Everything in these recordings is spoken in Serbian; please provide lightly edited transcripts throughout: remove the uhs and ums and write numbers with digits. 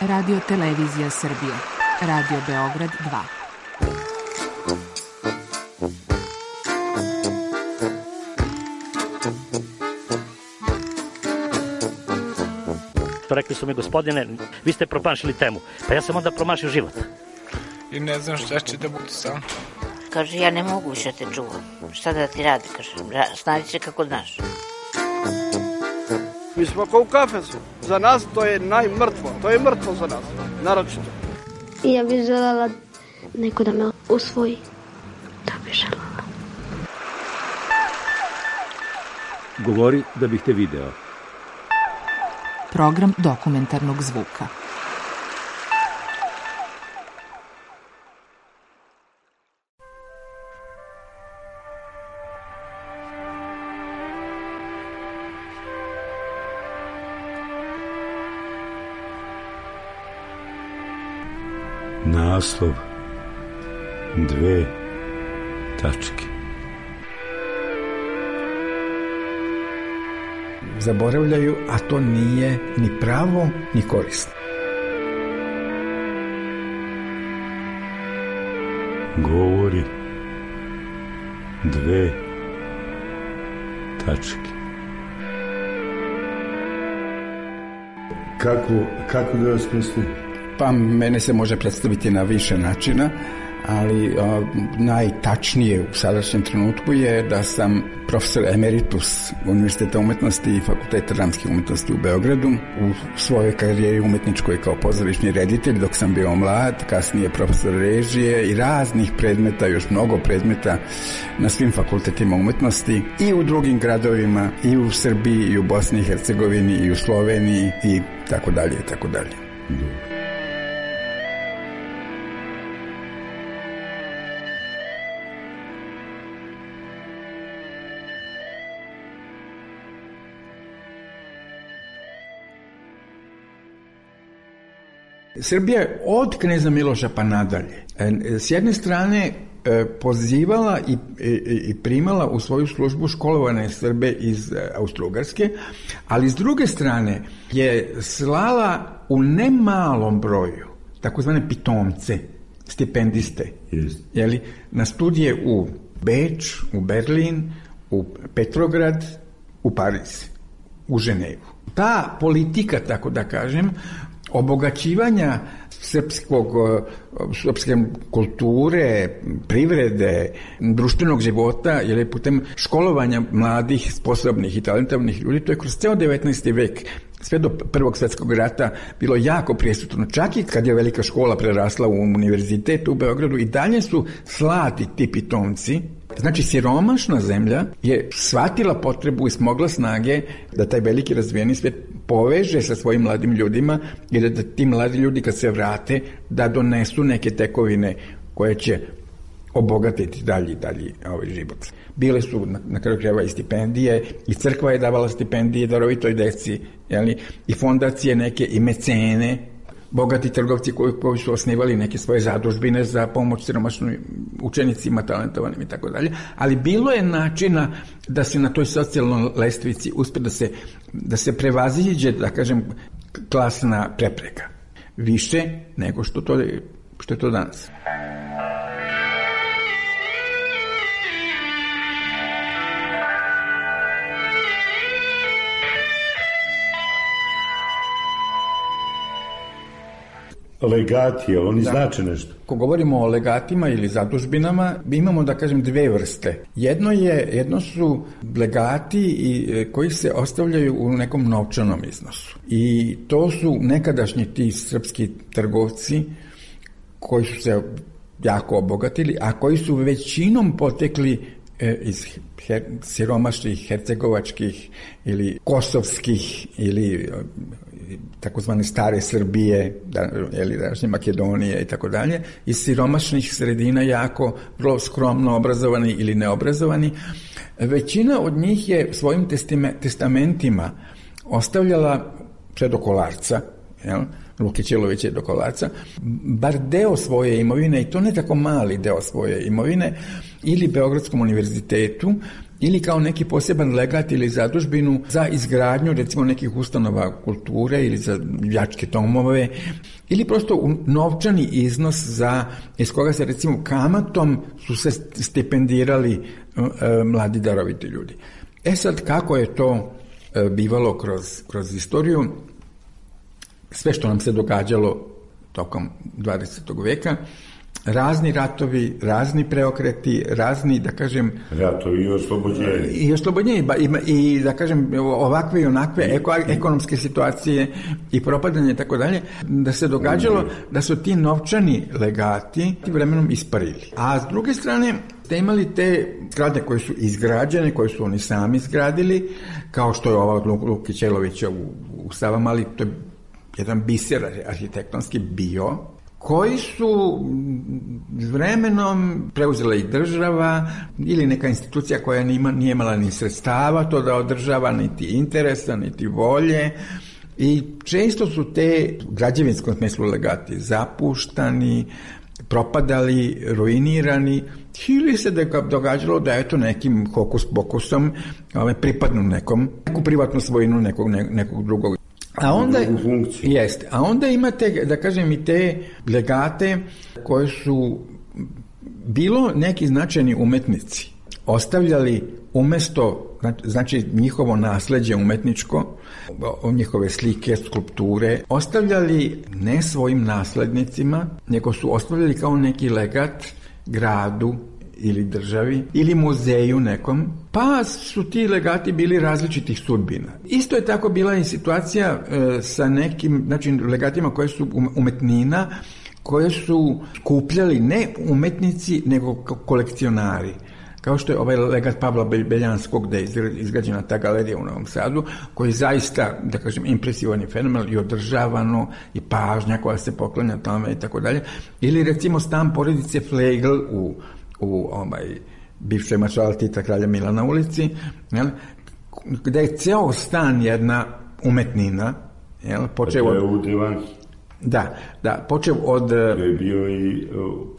Radio Televizija Srbije. Radio Beograd 2. Rekli su mi, gospodine, vi ste promašili temu. Pa ja sam onda promašio život. I ne znam šta će da bude sam. Kaže, ja ne mogu više te čuvam. Šta da ti radi, kaže, snađi se kako znaš. Mi smo kao u kafesu. Za nas to je najmrtvo. To je mrtvo za nas, naročito. I ja bih željela neko da me usvoji. To bih željela. Govori da bih te video. Program dokumentarnog zvuka. Naslov 2 tačke. Zaboravljaju, a to nije ni pravo, ni korisno. Govori 2 tačke. Kako da vas mislim? Pa mene se može predstaviti na više načina, ali najtačnije u sadašnjem trenutku je da sam profesor emeritus Univerziteta umetnosti i Fakulteta dramskih umetnosti u Beogradu. U svojoj karijeri umetničkoj kao pozorišni reditelj dok sam bio mlad, kasnije profesor režije i raznih predmeta, još mnogo predmeta na svim fakultetima umetnosti i u drugim gradovima, i u Srbiji, i u Bosni i Hercegovini, i u Sloveniji i tako dalje i tako dalje. Srbija je od kneza Miloša pa nadalje s jedne strane pozivala i primala u svoju službu školovane Srbe iz Austro-Ugarske, ali s druge strane je slala u nemalom broju takozvane pitomce, stipendiste, na studije u Beč, u Berlin, u Petrograd, u Pariz, u Ženevu. Ta politika, tako da kažem, obogaćivanja srpske kulture, privrede, društvenog života, jer je putem školovanja mladih, sposobnih i talentovnih ljudi, to je kroz ceo 19. vek, sve do Prvog svjetskog rata, bilo jako prisutno. Čak i kad je velika škola prerasla u univerzitet u Beogradu, i dalje su slati ti pitomci. Znači, siromašna zemlja je shvatila potrebu i smogla snage da taj veliki razvijeni svijet poveže sa svojim mladim ljudima i da ti mladi ljudi kad se vrate da donesu neke tekovine koje će obogatiti dalji život. Bile su na kraju krajeva i stipendije, i crkva je davala stipendije darovitoj deci, i fondacije neke, i mecene, bogati trgovci koji su osnivali neke svoje zadužbine za pomoć siromašnim učenicima, talentovanim i tako dalje, ali bilo je načina da se na toj socijalnoj lestvici uspe da se prevaziđe, da kažem, klasna prepreka. Više nego što je to danas. Legati, oni znače nešto. Ako govorimo o legatima ili zadužbinama, imamo, da kažem, dve vrste. Jedno su legati koji se ostavljaju u nekom novčanom iznosu. I to su nekadašnji ti srpski trgovci koji su se jako obogatili, a koji su većinom potekli iz siromašnih, hercegovačkih ili kosovskih ili takozvane stare Srbije, današnje Makedonije i tako dalje, iz siromašnih sredina, jako vrlo skromno obrazovani ili neobrazovani. Većina od njih je svojim testamentima ostavljala sve do Kolarca, Luke Ćelovića do Kolarca, bar deo svoje imovine, i to ne tako mali deo svoje imovine, ili Beogradskom univerzitetu, ili kao neki poseban legat ili zadužbinu za izgradnju recimo nekih ustanova kulture ili za đačke domove, ili prosto novčani iznos iz koga se recimo kamatom su se stipendirali mladi daroviti ljudi. Sad, kako je to bivalo kroz istoriju, sve što nam se događalo tokom 20. veka, razni ratovi, razni preokreti, razni, da kažem... Ratovi i oslobođenje. I da kažem, ovakve i onakve ekonomske situacije i propadanje i tako dalje, da se događalo da su ti novčani legati vremenom isparili. A s druge strane, ste imali te zgrade koje su izgrađene, koje su oni sami izgradili, kao što je ova od Luki Ćelovića u Savamali, to je jedan biser arhitektonski bio, koji su vremenom preuzela i država ili neka institucija koja nije imala ni sredstava to da održava, niti interesa, niti volje, i često su te građevinskom smislu legati zapuštani, propadali, ruinirani, ili se događalo da eto nekim hokus pokusom pripadnu neku privatnu svojinu nekog drugog. A onda imate, da kažem, i te legate koje su bilo neki značajni umetnici ostavljali umjesto, znači njihovo nasleđe umetničko, njihove slike, skulpture, ostavljali ne svojim naslednicima, nego su ostavljali kao neki legat gradu ili državi ili muzeju nekom, pa su ti legati bili različitih sudbina. Isto je tako bila i situacija sa nekim, znači legatima koje su umetnina, koje su skupljali ne umetnici nego kolekcionari. Kao što je ovaj legat Pavla Beljanskog, gde je izgrađena ta galerija u Novom Sadu, koji je zaista, da kažem, impresivan i fenomenal i održavano i pažnja koja se poklanja tome i tako dalje. Ili recimo stan porodice Flegl u bivšoj maršala Tita kralja Milana ulici, gde je ceo stan jedna umetnina, počeo od... u Devanki. Da, počeo od... To je bio i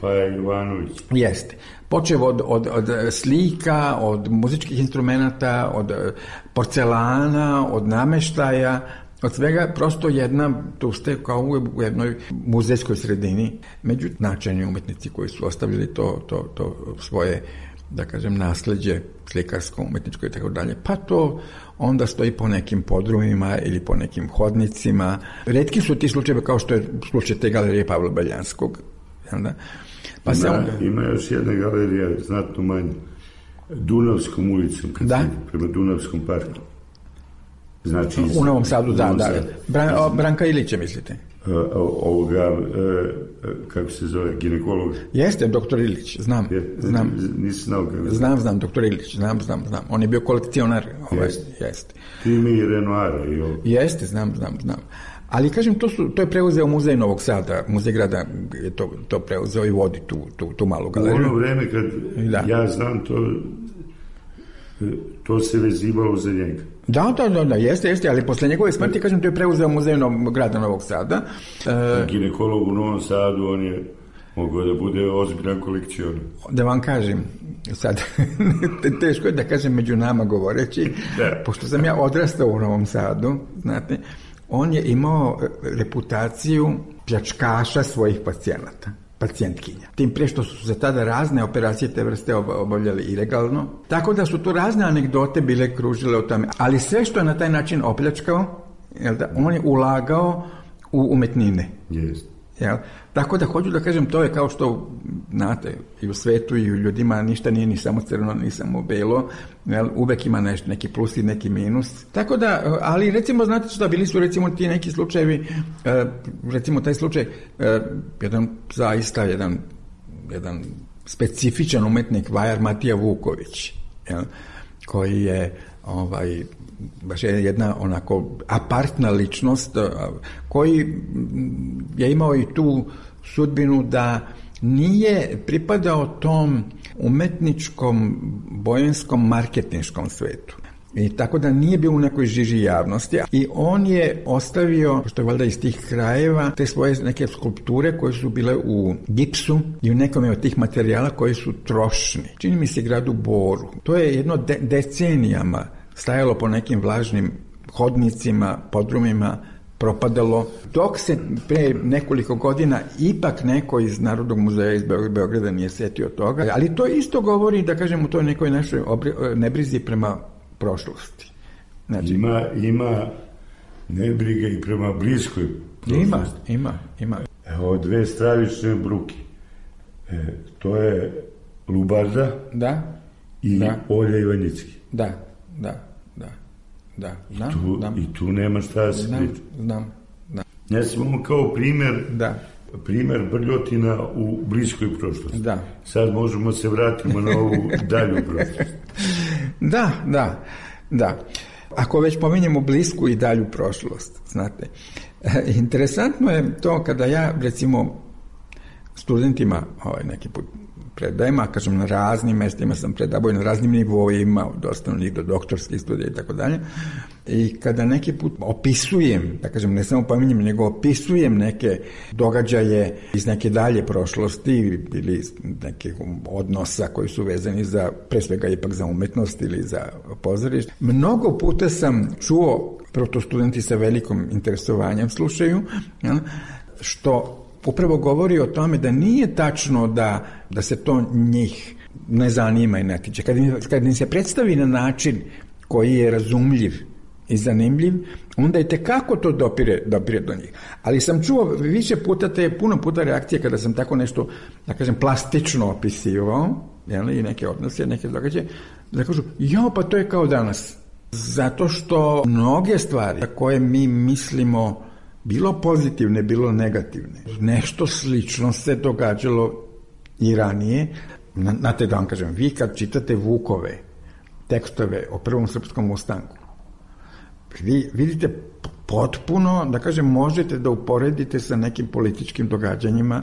Paja Jovanović. Jeste. Počeo od slika, od muzičkih instrumenata, od porcelana, od nameštaja, od svega, prosto tu ste kao u jednoj muzejskoj sredini, među značajni umetnici koji su ostavili to svoje, da kažem, nasleđe slikarsko, umetničko i tako dalje, pa to onda stoji po nekim podrumima ili po nekim hodnicima. Retki su ti slučajevi kao što je slučaj te galerije Pavla Beljanskog. Pa ima još jedna galerija, znatno manja, Dunavskom ulicom, prema Dunavskom parku. Znači, u Novom Sadu, da. Branka Ilića, mislite? Kako se zove, ginekolog? Jeste, doktor Ilić, znam. Nisi znao kako? Znam, doktor Ilić, znam. On je bio kolekcionar. Jeste. Ti ima i Renoira. Jeste, znam. Ali, kažem, to je preuzeo muzej Novog Sada, muzej grada je to preuzeo i vodi tu malu galeriju. U ono vreme kad ja znam to se vezivalo za njega. Da, jeste, ali posle njegove smrti, kažem, to je preuzeo muzej grada Novog Sada. Ginekolog u Novom Sadu, on je mogao da bude ozbiljan kolekcionar. Da vam kažem, sad, teško je da kažem među nama govoreći, pošto sam ja odrastao u Novom Sadu, znate, on je imao reputaciju pljačkaša svojih pacijentkinja. Tim pre što su se tada razne operacije te vrste obavljali ilegalno. Tako da su tu razne anegdote bile kružile o tome. Ali sve što je na taj način opljačkao, on je ulagao u umetnine. Jeste. Tako da hoću da kažem, to je kao što, znate, i u svetu i u ljudima ništa nije ni samo crno, ni samo belo, uvek ima neki plus i neki minus. Tako da, ali recimo, znate što, bili su recimo ti neki slučajevi, recimo taj slučaj, jedan specifičan umetnik, vajar Matija Vuković, koji je baš je jedna onako apartna ličnost, koji je imao i tu sudbinu da nije pripadao tom umetničkom, bojanskom, marketinškom svetu. I tako da nije bio u nekoj žiži javnosti. I on je ostavio, što je valjda iz tih krajeva, te svoje neke skulpture koje su bile u gipsu i u nekome od tih materijala koji su trošni. Čini mi se gradu Boru. To je jedno decenijama stajalo po nekim vlažnim hodnicima, podrumima, propadalo, dok se pre nekoliko godina ipak neko iz Narodnog muzeja iz Beograda nije setio toga, ali to isto govori, da kažem, u toj nekoj našoj nebrizi prema prošlosti. Znači, ima nebriga i prema bliskoj prošlosti. Ima. Evo, dve stravične bruke. To je Lubarda i Olja Ivanjicki. Da. I tu nema šta da se priča. Znam. Ja sam imao kao primer brljotina u bliskoj prošlosti. Da. Sad možemo se vratimo na ovu dalju prošlost. Da. Ako već pominjemo blisku i dalju prošlost, znate. Interesantno je to kada ja, recimo, studentima neki put predajem, a kažem na raznim mestima sam predavao, na raznim nivoima, od osnovnih do doktorskih studija i tako dalje. I kada neki put opisujem, da kažem, ne samo pominjem, nego opisujem neke događaje iz neke dalje prošlosti ili iz nekih odnosa koji su vezani za, pre svega ipak za umetnost ili za pozorište. Mnogo puta sam čuo, prvo to studenti sa velikom interesovanjem slušaju, što upravo govori o tome da nije tačno da se to njih ne zanima i ne tiče. Kad im se predstavi na način koji je razumljiv i zanimljiv, onda je tekako to dopire do njih. Ali sam čuo više puta puno puta reakcije kada sam tako nešto, da kažem, plastično opisivao, i neke odnose, neke događaje, da kažu, pa to je kao danas. Zato što mnoge stvari koje mi mislimo bilo pozitivne, bilo negativne. Nešto slično se događalo i ranije. Znate da vam kažem, vi kad čitate Vukove tekstove o Prvom srpskom ustanku, vi vidite potpuno, da kažem, možete da uporedite sa nekim političkim događanjima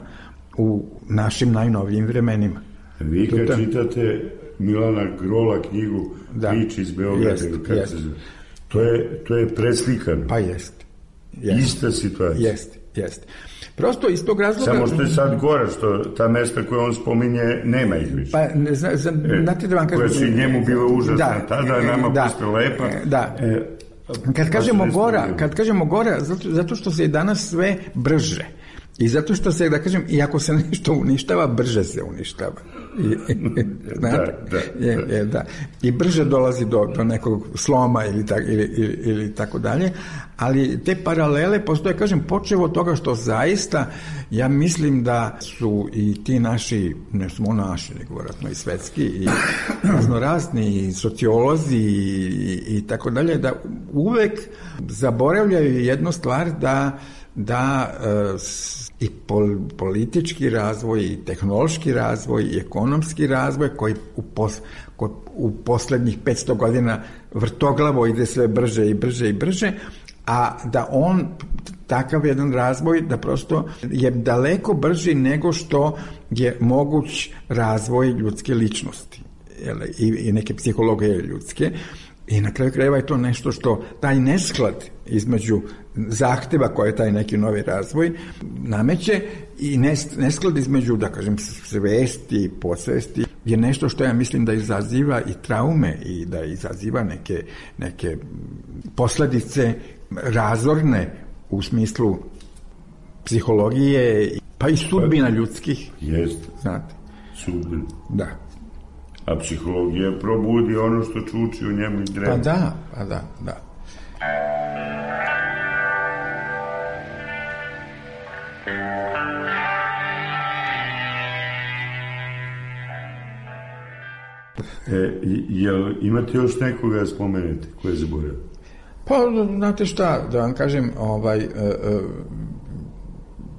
u našim najnovijim vremenima. Vi kad čitate Milana Grola knjigu Priče iz Beograda, to je preslikano. Pa jeste. Ista situacija. Jeste. Prosto iz tog razloga... Samo što je sad gore, što ta mesta koje on spominje nema ih više. Pa, znate da vam kažem... Koja su njemu bila užasna tada, nama posle lepa. Da. Kad kažemo gora, zato što se danas sve brže. I zato što se, da kažem, i ako se nešto uništava, brže se uništava. Da. I brže dolazi do nekog sloma ili tako dalje. Ali te paralele postoje, kažem, počev od toga što zaista, ja mislim da su i ti naši, ne samo naši, nego vjerojatno i svetski, i raznorazni, i sociolozi i tako dalje, da uvek zaboravljaju jednu stvar, da i politički razvoj, i tehnološki razvoj, i ekonomski razvoj koji u poslednjih 500 godina vrtoglavo ide sve brže i brže, a da on, takav jedan razvoj, da prosto je daleko brži nego što je moguć razvoj ljudske ličnosti i neke psihologije ljudske. I na kraju krajeva je to nešto što taj nesklad između zahteva koje taj neki novi razvoj nameće i nesklad između, da kažem, svesti i podsvesti je nešto što ja mislim da izaziva i traume i da izaziva neke posledice razorne u smislu psihologije, pa i sudbina ljudskih. Jeste. Znate. Sudbina. Da. A psihologija probudi ono što čuči u njemu i drema. Pa da. Jel imate još nekoga da spomenete koje je zaboravio? Pa, znate šta, da vam kažem,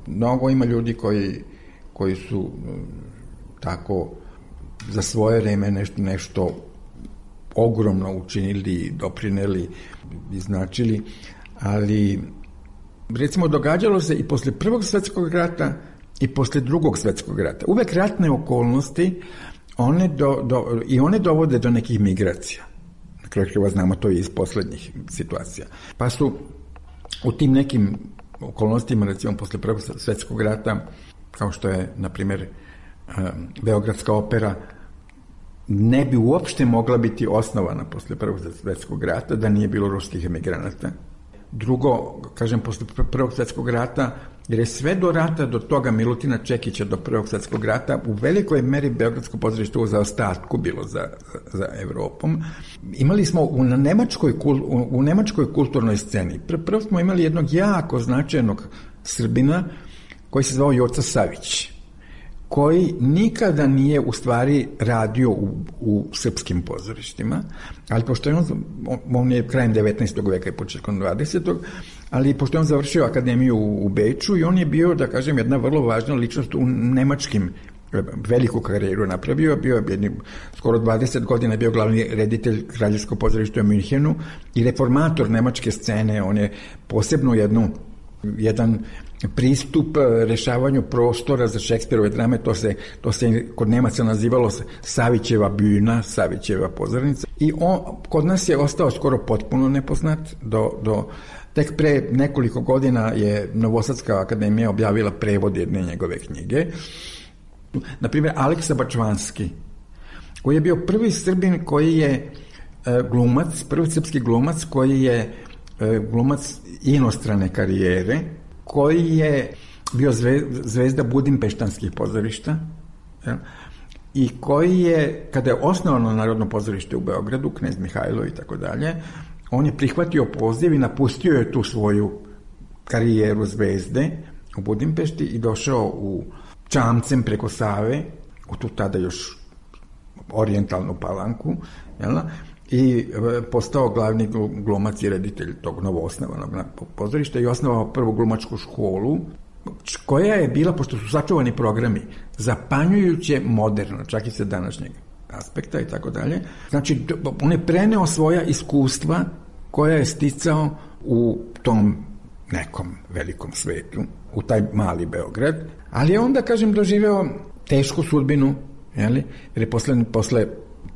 mnogo ima ljudi koji su tako za svoje vreme nešto ogromno učinili, doprineli i značili, ali recimo događalo se i posle Prvog svjetskog rata i posle Drugog svjetskog rata. Uvek ratne okolnosti one dovode do nekih migracija. Na kraju krajeva znamo to iz poslednjih situacija. Pa su u tim nekim okolnostima, recimo posle Prvog svjetskog rata, kao što je, na primjer, Beogradska opera, ne bi uopšte mogla biti osnovana posle Prvog svjetskog rata da nije bilo ruskih emigranata. Drugo, kažem, posle Prvog svjetskog rata, jer je sve do rata, do toga Milutina Čekića, do Prvog svjetskog rata, u velikoj meri Beogradsko pozorište u zaostatku bilo za Evropom. Imali smo u nemačkoj kulturnoj sceni, prvo smo imali jednog jako značajnog Srbina koji se zvao Joca Savić, koji nikada nije u stvari radio u srpskim pozorištima, ali pošto je on je krajem 19. veka i početkom 20. ali pošto je on završio akademiju u Beču i on je bio, da kažem, jedna vrlo važna ličnost u nemačkim, veliku karijeru napravio, bio je skoro 20 godina bio glavni reditelj Kraljevskog pozorišta u Minhenu i reformator nemačke scene. On je posebno jedan pristup rešavanju prostora za Šekspirove drame, to se kod Nemaca nazivalo Savićeva bühna, Savićeva pozornica, i kod nas je ostao skoro potpuno nepoznat tek pre nekoliko godina je Novosadska akademija objavila prevod jedne njegove knjige. Na primjer, Aleksa Bačvanski, koji je bio prvi Srbin koji je glumac, prvi srpski glumac koji je glumac inostrane karijere, koji je bio zvezda budimpeštanskih pozorišta i koji je, kada je osnovano Narodno pozorište u Beogradu, Knez Mihajlo i tako dalje, on je prihvatio poziv i napustio je tu svoju karijeru zvezde u Budimpešti i došao u čamcem preko Save, u tu tada još orijentalnu Palanku, i postao glavni glumac i reditelj tog novoosnovanog pozorišta i osnovao prvu glumačku školu, koja je bila, pošto su sačuvani programi, zapanjujuće moderno, čak i sa današnjeg aspekta i tako dalje. Znači, on je preneo svoja iskustva koja je sticao u tom nekom velikom svetu, u taj mali Beograd, ali je onda, kažem, doživeo tešku sudbinu, jer je posle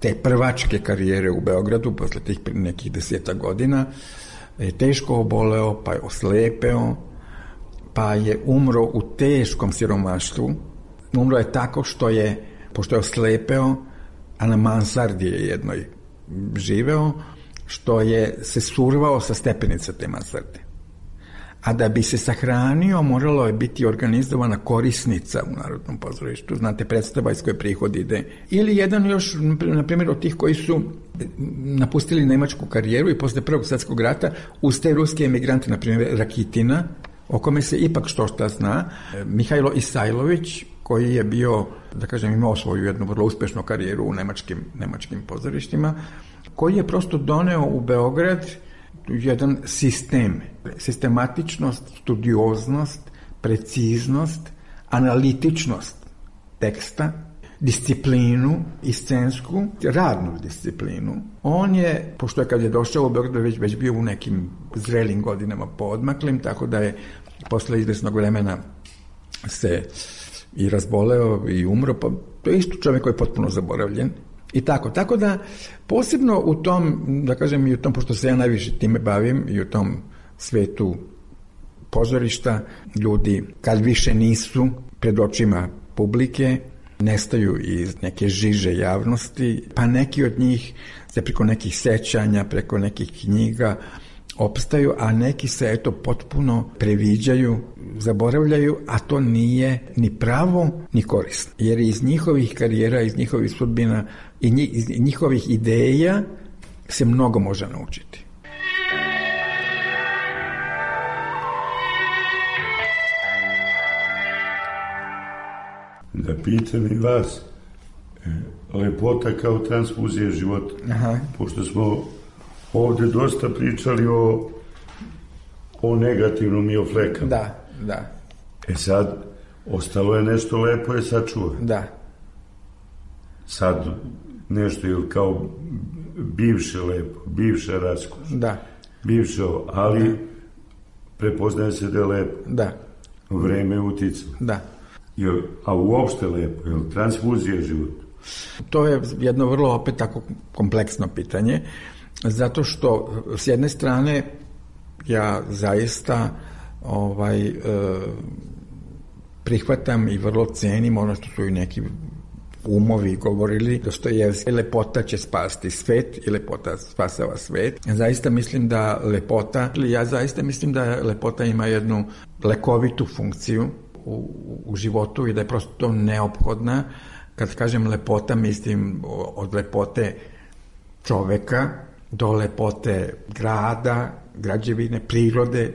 te prvačke karijere u Beogradu, posle tih nekih 10 godina, je teško oboleo, pa je oslepeo, pa je umro u teškom siromaštvu. Umro je tako pošto je oslepeo, a na mansardi je jednoj živeo, što je se survao sa stepenica te mansarde. A da bi se sahranio, moralo je biti organizovana korisnica u Narodnom pozorištu, znate, predstava iz koje prihod ide. Ili jedan još, na primjer, od tih koji su napustili nemačku karijeru i posle Prvog svjetskog rata, uz te ruske emigrante, na primjer Rakitina, o kome se ipak što šta zna, Mihajlo Isajlović, koji je bio, da kažem, imao svoju jednu vrlo uspešnu karijeru u nemačkim pozorištima, koji je prosto doneo u Beograd jedan sistem, sistematičnost, studioznost, preciznost, analitičnost teksta, disciplinu i scensku, radnu disciplinu. On je, pošto je kad je došao u Beograd već bio u nekim zrelim godinama poodmaklim, tako da je posle izvesnog vremena se i razboleo i umro, pa to je isto čovjek koji je potpuno zaboravljen. I tako da posebno u tom, da kažem, i u tom, pošto se ja najviše time bavim, i u tom svetu pozorišta, ljudi kad više nisu pred očima publike, nestaju iz neke žiže javnosti, pa neki od njih se preko nekih sećanja, preko nekih knjiga opstaju, a neki se potpuno previđaju, zaboravljaju, a to nije ni pravo ni korisno. Jer iz njihovih karijera, iz njihovih sudbina i iz njihovih ideja se mnogo može naučiti. Da pitam i vas, lepota kao transfuzija života. Aha. Pošto smo ovde dosta pričali o negativnom i o flekama. Da. Sad, ostalo je nešto lepo je sačuva. Da. Sad, nešto je kao bivše lepo, bivša raskoš. Da. Bivše ovo, ali prepoznaje se da je lepo. Da. Vreme je uticalo. Da. A uopšte lepo, je li transfuzija života? To je jedno vrlo opet tako kompleksno pitanje, zato što s jedne strane ja zaista prihvatam i vrlo cenim ono što su i neki umovi govorili, Dostojevski, lepota će spasti svet i lepota spasava svet. Ja zaista mislim da lepota ima jednu lekovitu funkciju u životu i da je prosto to neophodna. Kad kažem lepota, mislim od lepote čoveka do lepote grada, građevine, prirode,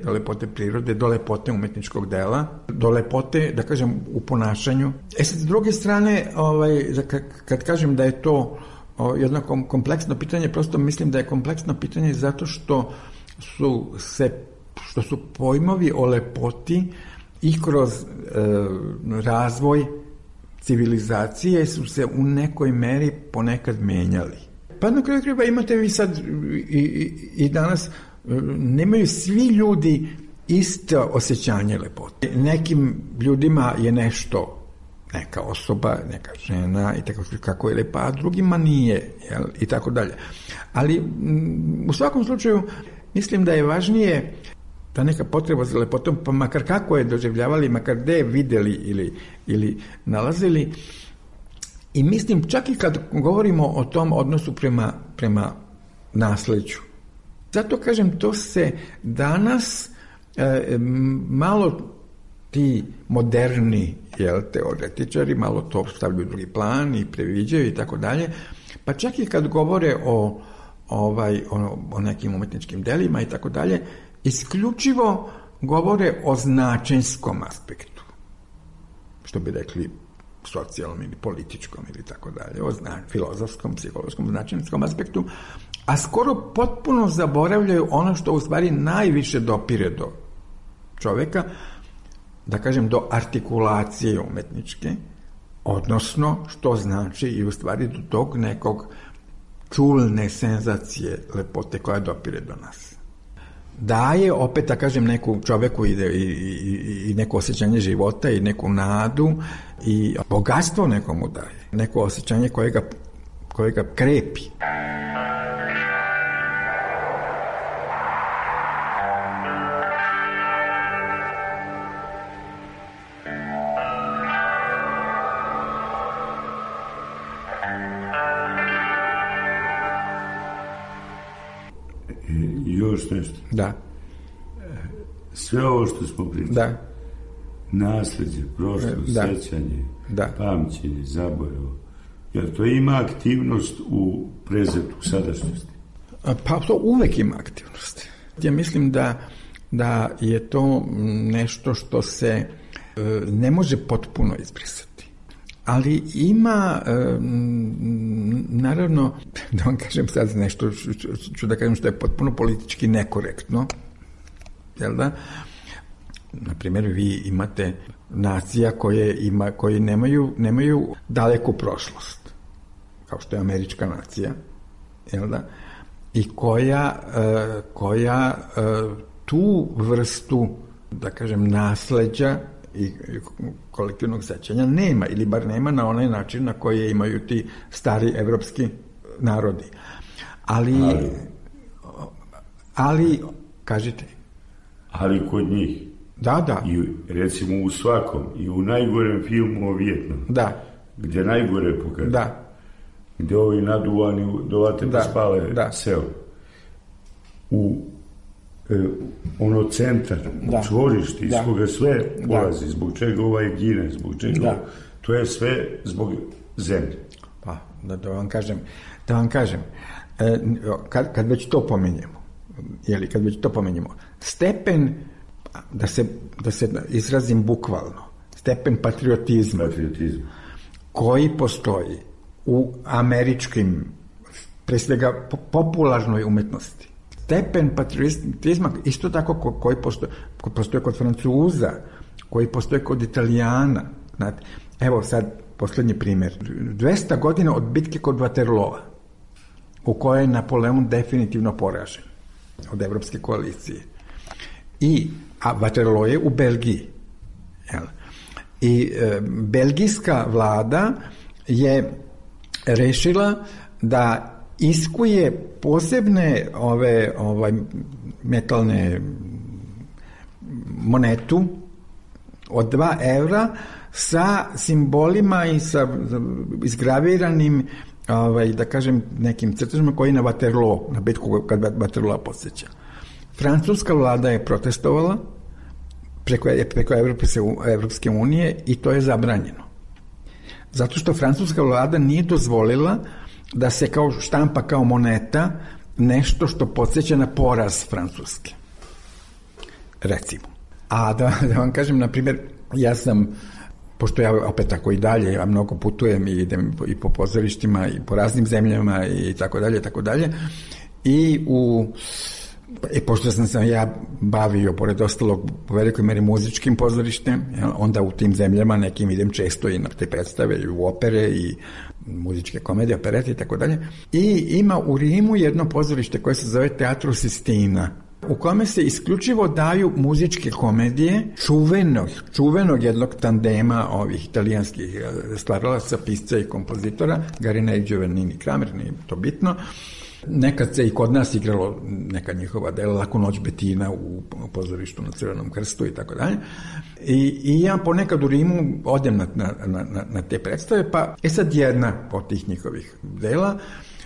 do lepote umetničkog dela, do lepote, da kažem, u ponašanju. Sad, s druge strane, kad kažem da je to jedno kompleksno pitanje, prosto mislim da je kompleksno pitanje zato što su pojmovi o lepoti i kroz razvoj civilizacije su se u nekoj meri ponekad menjali. Pa na kraju krajeva imate vi sad i danas, nemaju svi ljudi isto osjećanje lepote. Nekim ljudima je nešto, neka osoba, neka žena i tako kako je lepa, a drugima nije, i tako dalje. Ali u svakom slučaju mislim da je važnije ta neka potreba za lepotom, pa makar kako je doživljavali, makar gde je videli ili nalazili. I mislim, čak i kad govorimo o tom odnosu prema nasleđu. Zato kažem, to se danas malo ti moderni teoretičari malo to stavljaju u drugi plan i previđaju i tako dalje. Pa čak i kad govore o nekim umetničkim delima i tako dalje, isključivo govore o značenjskom aspektu. Što bi rekli socijalnom ili političkom ili tako dalje, o filozofskom, psihološkom, značenjskom aspektu, a skoro potpuno zaboravljaju ono što u stvari najviše dopire do čoveka, da kažem do artikulacije umetničke, odnosno što znači i u stvari do tog nekog čulne senzacije lepote koja dopire do nas. Daje opet, da kažem, neku čoveku i neko osjećanje života i neku nadu i bogatstvo nekomu daje. Neko osjećanje koje ga krepi. Još nešto. Da. Sve ovo što smo pričali. Da. Nasleđe, prošlost, sećanje, pamćenje, zaborav. Jer to ima aktivnost u prezetu, sadašnjosti? Pa to uvek ima aktivnost. Ja mislim da je to nešto što se ne može potpuno izbrisati. Ali ima, naravno, da vam kažem sad nešto, ću da kažem što je potpuno politički nekorektno, jel da? Naprimjer, vi imate nacija koje nemaju daleku prošlost, kao što je američka nacija, jel da? I koja tu vrstu, da kažem, nasleđa i kolektivnog sećanja nema, ili bar nema na onaj način na koji imaju ti stari evropski narodi. Ali kažite. Ali kod njih. Da. I recimo u svakom, i u najgorem filmu o Vijetnamu. Da. Gde najgore pokaže. Da. Gde ovi naduvani dovate pa spale seo. U centar, čvorište, iz koga sve polazi, zbog čega ovaj gine, zbog čega to je sve zbog zemlje. Pa, da vam kažem, kad već to pomenjemo, stepen, da se izrazim bukvalno, stepen patriotizma koji postoji u američkim, pre svega popularnoj umetnosti, stepen patriotizma isto tako koji postoje kod Francuza, koji postoje kod Italijana. Znate, evo sad poslednji primjer. 200 godina od bitke kod Waterloa, u kojoj je Napoleon definitivno poražen od Evropske koalicije. A Waterloo je u Belgiji. I belgijska vlada je rešila da iskuje posebne metalne monetu od 2 evra sa simbolima i sa izgraviranim da kažem nekim crtežima koji na Waterloo, na bitku kad Waterloo podsjeća. Francuska vlada je protestovala preko Evropske unije i to je zabranjeno. Zato što francuska vlada nije dozvolila da se kao štampa kao moneta nešto što podsjeća na poraz Francuske. Recimo. A da vam kažem, na primjer, ja sam, pošto ja opet tako i dalje, ja mnogo putujem i idem i po pozorištima i po raznim zemljama i tako dalje, i pošto sam se ja bavio, pored ostalog, u velikoj meri muzičkim pozorištem, onda u tim zemljama nekim idem često i na te predstave, i u opere, i muzičke komedije, operete i tako dalje. I ima u Rimu jedno pozorište koje se zove Teatro Sistina, u kome se isključivo daju muzičke komedije čuvenog jednog tandema ovih italijanskih stvaralaca, pisca i kompozitora, Garina i Giovannini Kramer, nije to bitno. Nekad se i kod nas igralo neka njihova dela, Laku noć Betina u pozorištu na Crvenom krstu i tako dalje. I ja ponekad u Rimu odem na te predstave, pa sad jedna od tih njihovih dela,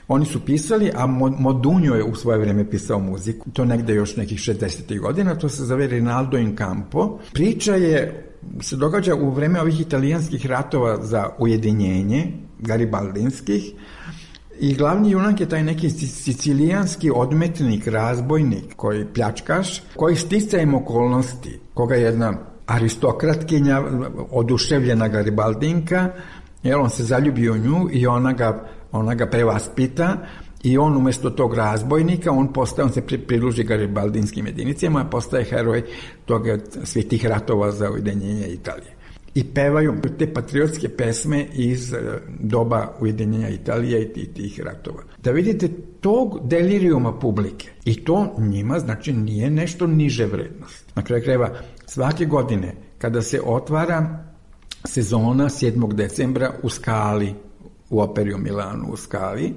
oni su pisali, a Modugno je u svoje vreme pisao muziku, to negde još nekih 60. godina, to se zove Rinaldo in Campo. Priča se događa u vreme ovih italijanskih ratova za ujedinjenje, garibaldinskih, i glavni junak je taj neki sicilijanski odmetnik, razbojnik, koji pljačkaš, koji sticajem okolnosti, koga je jedna aristokratkinja, oduševljena garibaldinka, jer on se zaljubi u nju i ona ga prevaspita i on umjesto tog razbojnika, on se pridruži garibaldinskim jedinicama, postaje heroj svih tih ratova za ujedinjenje Italije. I pevaju te patriotske pesme iz doba ujedinjenja Italije i tih ratova. Da vidite tog delirijuma publike. I to njima znači nije nešto niže vrednost. Na kraju krajeva, svake godine kada se otvara sezona 7. decembra u Skali, u operi u Milanu u Skali,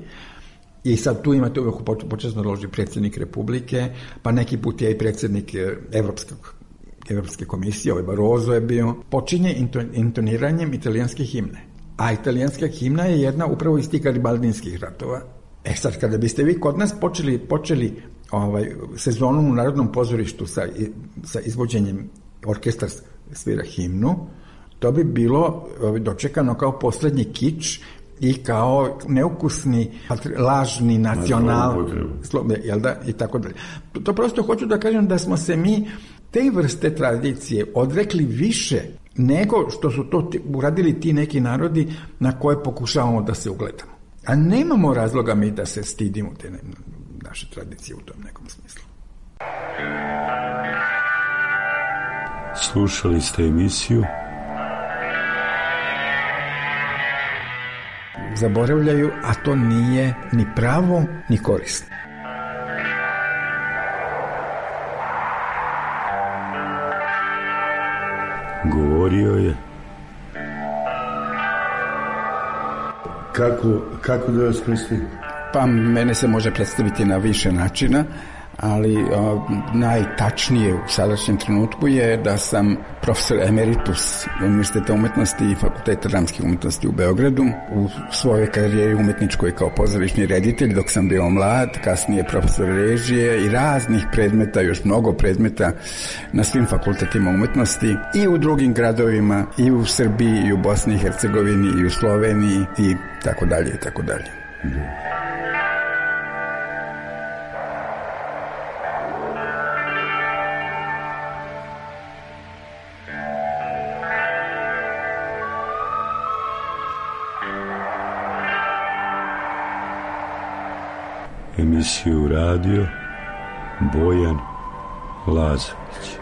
i sad tu imate uvijek počasno loži predsjednik Republike, pa neki put je i predsjednik Evropske komisije, Barroso je bio, počinje intoniranjem italijanske himne. A italijanska himna je jedna upravo iz tih garibaldinskih ratova. Sad, kada biste vi kod nas počeli sezonu u Narodnom pozorištu sa izvođenjem, orkestar svira himnu, to bi bilo dočekano kao poslednji kič i kao neukusni, lažni nacional, jel da, i tako dalje. To prosto hoću da kažem da smo se mi te vrste tradicije odrekli više nego što su to uradili ti neki narodi na koje pokušavamo da se ugledamo. A nemamo razloga mi da se stidimo te naše tradicije u tom nekom smislu. Slušali ste emisiju Zaboravljaju, a to nije ni pravo, ni korisno. Govorio je. Kako da vas predstavim? Pa mene se može predstaviti na više načina, ali najtačnije u sadašnjem trenutku je da sam profesor emeritus Univerziteta umetnosti i Fakulteta dramskih umetnosti u Beogradu. U svojoj karijeri umetničkoj kao pozorišni reditelj dok sam bio mlad, kasnije profesor režije i raznih predmeta, još mnogo predmeta na svim fakultetima umetnosti i u drugim gradovima, i u Srbiji, i u Bosni i Hercegovini, i u Sloveniji i tako dalje i tako dalje. Emisiju radio Bojan Lazović.